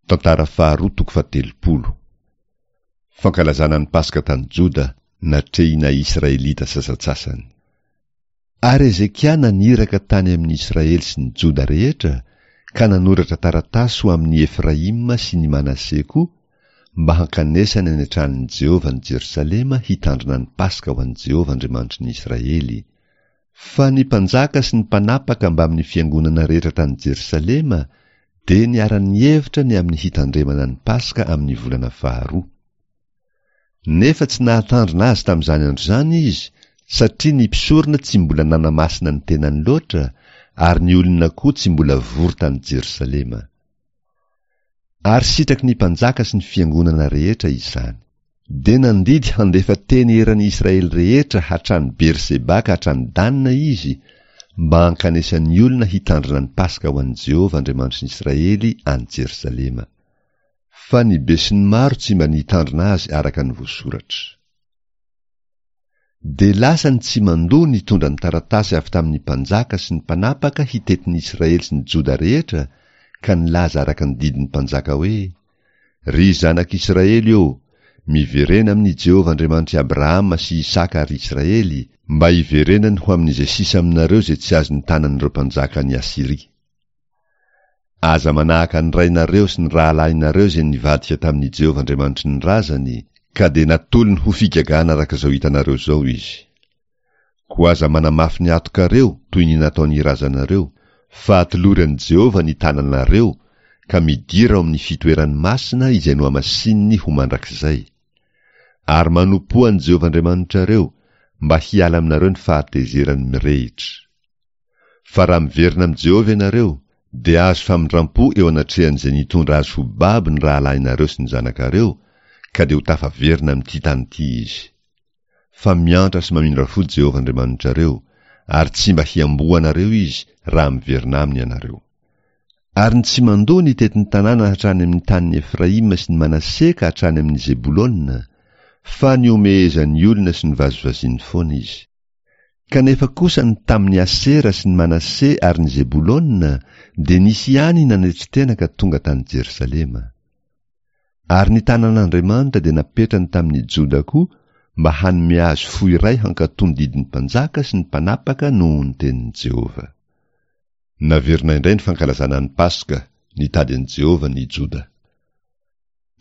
Tantara faharoa toko fahatelopolo. Fankalazana ny Paska tany Joda, natrehina Israelita sasantsasany. Ary Hezekia naniraka tany amin'ny Israely sy ny Joda rehetra, ka nanoratra taratasy ho amin'i Efraima sy ny Manase koa, mba hankanesany any an-tranon'i Jehovah any Jerosalema hitandrina ny Paska ho an'i Jehovah Andriamanitry ny Israely. Fa ny mpanjaka sy ny mpanapaka mbamin'ny fiangonana rehetra tany Jerosalema dia niara-nihevitra ny amin'ny hitandremana ny Paska amin'ny volana faharoa. Nefa tsy nahatandrina azy tamin'izany andro izany izy, satria ny mpisorona tsy mbola nanamasina ny tenany loatra, ary ny olona koa tsy mbola vory tany Jerosalema. Ary sitraky ny mpanjaka sy ny fiangonana rehetra izany. Dia nandidy handefa teny eran'i Israely rehetra hatrany Berseba ka hatrany Dana izy, mba hankanesan'ny olona hitandrina ny Paska ho an'i Jehovah Andriamanitry ny Israely any Jerosalema. Fa ny besinimaro tsy mba nitandrina azy araka ny voasoratra. Dia lasa ny tsimandoa nitondra ny taratasy avy tamin'ny mpanjaka sy ny mpanapaka hitety ny Israely sy ny Joda rehetra ka nilaza araka ny didin'ny mpanjaka hoe, Ry zanak'Israely ô, miverena amin'i Jehovah Andriamanitr'i Abrahama sy Isaka ary Israely, mba hiverenany ho amin'izay sisa aminareo izay tsy azon'ny tanan'ireo mpanjakan'i Asyria. Aza manahaka ny rainareo sy ny rahalahinareo izay nivadika tamin'i Jehovah Andriamanitry ny razany, ka dia natolony ho figagana araka izao hitanareo izao izy. Koa aza manamafy ny hatokareo toy ny nataon'ny razanareo, fa atolory an'i Jehovah ny tananareo, ka midira ao amin'ny fitoerany masina izay nohamasininy ho mandrakizay. Ary manompoa an'i Jehovah Andriamanitrareo, mba hiala aminareo ny fahatezerany mirehitra. Fa raha miverina amin'i Jehovah ianareo, dia hahazo famindram-po eo anatrehan'izay nitondra azy ho babo ny rahalahinareo sy ny zanakareo, ka dia ho tafaverina amin'ity tany ity izy. Fa miantra sy mamindra fo Jehovah Andriamanitrareo, ary tsy mba hiamboho anareo izy raha miverina aminy ianareo. Ary ny tsy mandoa nitety ny tanàna hatrany amin'ny tanin'i Efraima sy ny Manase ka hatrany amin'i Zebolona, fa nihomehezan'ny olona sy novazivaziany foana izy. Kanefa kosa ny tamin'i Asera sy ny Manase ary ny Zebolona dia nisy ihany nanetry tena ka tonga tany Jerosalema. Ary ny tanan'Andriamanitra dia napetrany tamin'i Joda koa mba hanome azy fo iray hankatò ny didin'ny mpanjaka sy ny mpanapaka noho ny tenin'i Jehovah. Naverina indray ny fankalazana ny Paska, nitady an'i Jehovah ny Joda.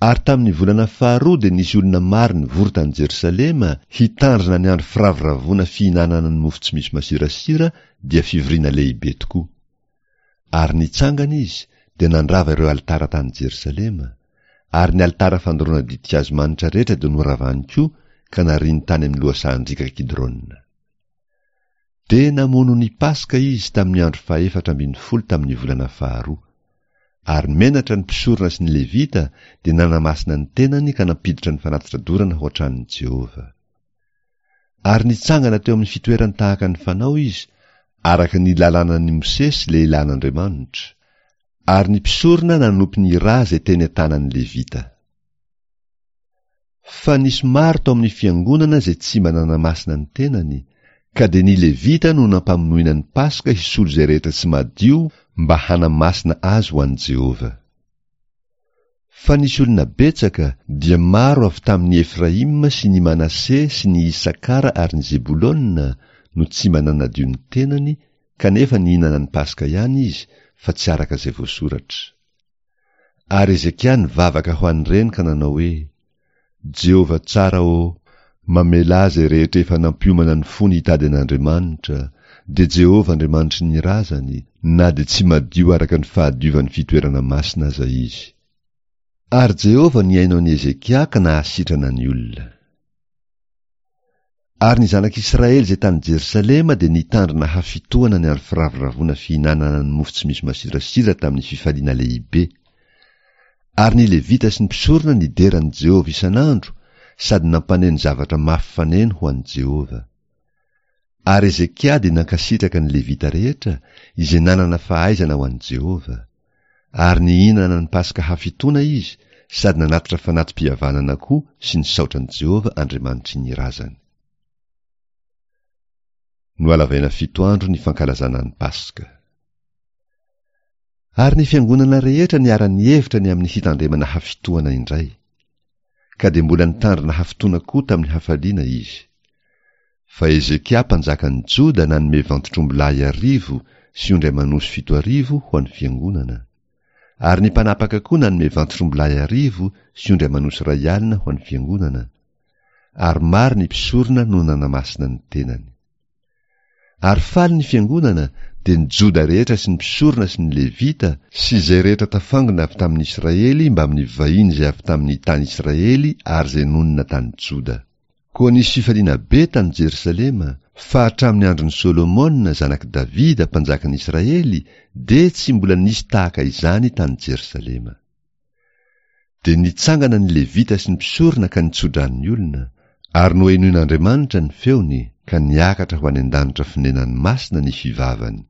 Ary tamin'ny volana faharoa dia nisy olona maro nivory tany Jerosalema hitandrina ny andro firavoravoana fihinanana ny mofo tsy misy masirasira dia fivoriana lehibe tokoa. Ary nitsangana izy dia nandrava ireo alitara tany Jerosalema, ary ny alitara fandoroana ditin-kazo manitra rehetra dia noravany koa ka nariany tany amin'ny lohasahan-driaka Kidrona. Dia namono ny Paska izy tamin'ny andro fahefatra ambin'ny folo tamin'ny volana faharoa. Ary menatra ny mpisorona sy ny Levita dia nanamasina ny tenany ka nampiditra ny fanatitra dorana ho an-tranon'i Jehovah. Ary nitsangana teo amin'ny fitoerany tahaka ny fanao izy, araka ny lalànan'i Mosesy lehilahin'Andriamanitra. Ary ny mpisorona nanopy ny ra izay teny an-tanan'ny Levita. Fa nisy maro tao amin'ny fiangonana izay tsy mba nanamasina ny tenany, ka dia ny Levita no nampamonoina ny Paska hisolo izay rehetra tsy madio mba hanamasina azy ho an'i Jehovah. Fa nisy olona betsaka, dia maro avy tamin'i Efraima sy ny Manase sy ny Isakara ary ny Zebolona no tsy mba nanadio ny tenany, kanefa nihinana ny Paska ihany izy, fa tsy araka izay voasoratra. Ary Hezekia nivavaka ho an'ireny ka nanao hoe, Jehovah tsara ô, mamelà izay rehetra efa nampiomana ny fony hitady an'Andriamanitra, dia Jehovah Andriamanitry ny razany, na dia tsy madio araka ny fahadiovan'ny fitoerana masina aza izy. Ary Jehovah nihaino an'i Hezekia ka nahasitrana ny olona. Ary ny zanak'Israely izay tany Jerosalema dia nitandrina hafitohana ny andro firavoravoana fihinanana ny mofo tsy misy masirasira tamin'ny fifaliana lehibe. Ary ny Levita sy ny mpisorona nidera an'i Jehovah isan'andro sady nampaneno zavatra mafy faneno ho an'i Jehovah. Ary Hezekia dia nankasitraka ny Levita rehetra izay nanana fahaizana ho an'i Jehovah. Ary nihinana ny Paska hafitoana izy sady nanatitra fanati-pihavanana koa sy nisaotra an'i Jehovah Andriamanitry ny razany. Nohalavaina fito andro ny fankalazana ny Paska. Ary ny fiangonana rehetra niara-nihevitra ny amin'ny hitandremana hafitohana indray. Ka dia mbola nitandrina hafitoana koa tamin'ny hafaliana izy. Fa Hezekia mpanjakan'ny Joda nanome vantotr'ombilahy arivo sy ondry aman'osy 7000 ho an'ny fiangonana. Ary ny mpanapaka koa nanome vantotr'ombilahy arivo sy ondry aman'osy 1000 ho an'ny fiangonana. Ary maro ny mpisorona no nanamasina ny tenany. Ary faly ny fiangonana, dia ny Joda rehetra sy ny mpisorona sy ny Levita, sy izay rehetra tafangona avy tamin'ny Israely mbamin'ny vahiny izay avy tamin'ny tany Israely ary izay nonina tany Joda. Koa nisy fifaliana be tany Jerosalema, fa hatramin'ny andron'i Solomona zanak'i Davida mpanjakan'i Israely dia tsy mbola nisy tahaka izany tany Jerosalema. Dia nitsangana ny Levita sy ny mpisorona ka nitso-drano ny olona, ary nohenoin'Andriamanitra ny feony, ka niakatra ho any an-danitra fonenany masina ny fivavany.